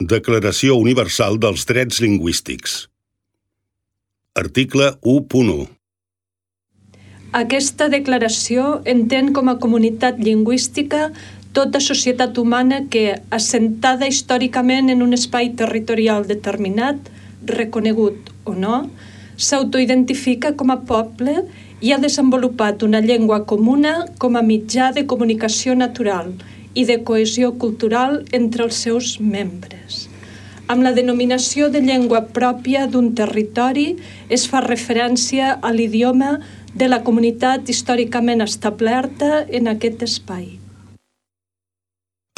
Declaració Universal dels Drets Lingüístics. Article 1.1. Aquesta declaració entén com a comunitat lingüística tota societat humana que, assentada històricament en un espai territorial determinat, reconegut o no, s'autoidentifica com a poble i ha desenvolupat una llengua comuna com a mitjà de comunicació natural i de cohesió cultural entre els seus membres. Amb la denominació de llengua pròpia d'un territori es fa referència a l'idioma de la comunitat històricament establerta en aquest espai.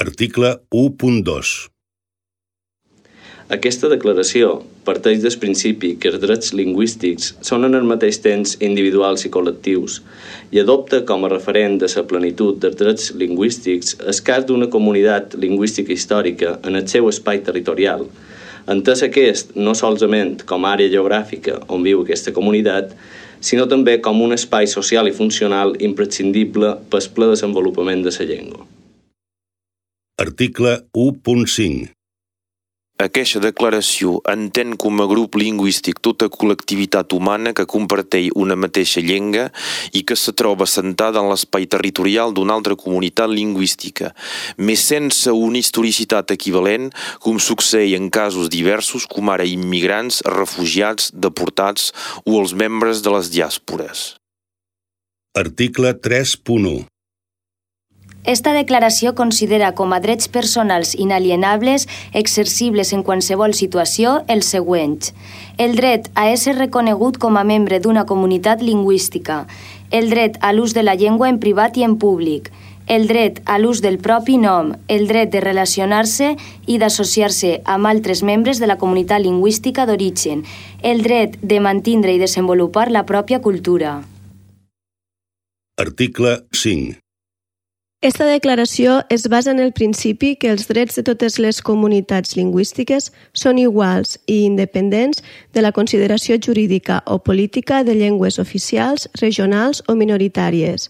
Article 1.2. Aquesta declaració parteix del principi que els drets lingüístics són en el mateix temps individuals i col·lectius i adopta com a referent de la plenitud dels drets lingüístics el cas d'una comunitat lingüística històrica en el seu espai territorial, entès aquest no solament com a àrea geogràfica on viu aquesta comunitat, sinó també com un espai social i funcional imprescindible pel ple desenvolupament de la llengua. Article 1.5. Aquesta declaració entén com a grup lingüístic tota col·lectivitat humana que comparteix una mateixa llengua i que se troba assentada en l'espai territorial d'una altra comunitat lingüística, més sense una historicitat equivalent, com succeeix en casos diversos com ara immigrants, refugiats, deportats o els membres de les diàspores. Article 3.1. Esta declaració considera com a drets personals inalienables exercibles en qualsevol situació els següents: el dret a ésser reconegut com a membre d'una comunitat lingüística, el dret a l'ús de la llengua en privat i en públic, el dret a l'ús del propi nom, el dret de relacionar-se i d'associar-se amb altres membres de la comunitat lingüística d'origen, el dret de mantindre i desenvolupar la pròpia cultura. Article 5. Esta declaració es basa en el principi que els drets de totes les comunitats lingüístiques són iguals i independents de la consideració jurídica o política de llengües oficials, regionals o minoritàries.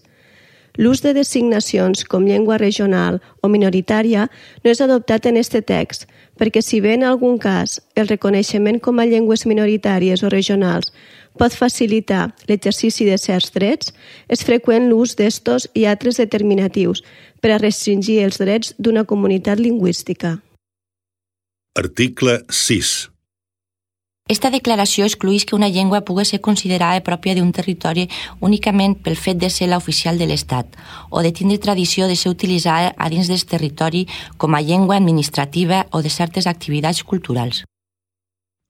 L'ús de designacions com llengua regional o minoritària no és adoptat en este text, perquè si bé en algun cas el reconeixement com a llengües minoritàries o regionals pot facilitar l'exercici de certs drets, és freqüent l'ús d'estos i altres determinatius per a restringir els drets d'una comunitat lingüística. Article 6. Esta declaració excluïx que una llengua pugui ser considerada pròpia d'un territori únicament pel fet de ser l'oficial de l'Estat o de tindre tradició de ser utilitzada a dins del territori com a llengua administrativa o de certes activitats culturals.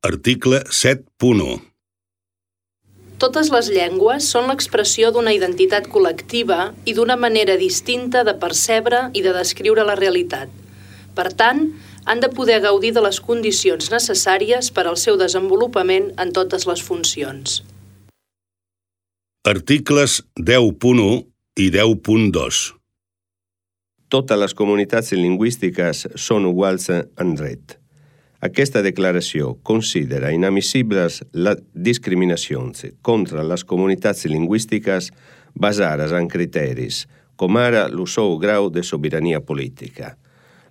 Article 7.1. Totes les llengües són l'expressió d'una identitat col·lectiva i d'una manera distinta de percebre i de descriure la realitat. Per tant, han de poder gaudir de les condicions necessàries per al seu desenvolupament en totes les funcions. Articles 10.1 i 10.2. Totes les comunitats lingüístiques són iguals en dret. Aquesta declaració considera inadmissibles les discriminacions contra les comunitats lingüístiques basades en criteris, com ara el seu grau de sobirania política,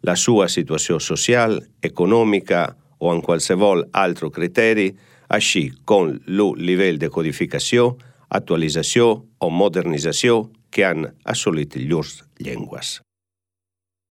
la sua situació social, econòmica o en qualsevol altre criteri, així com el nivell de codificació, actualització o modernització que han assolit llurs llengües.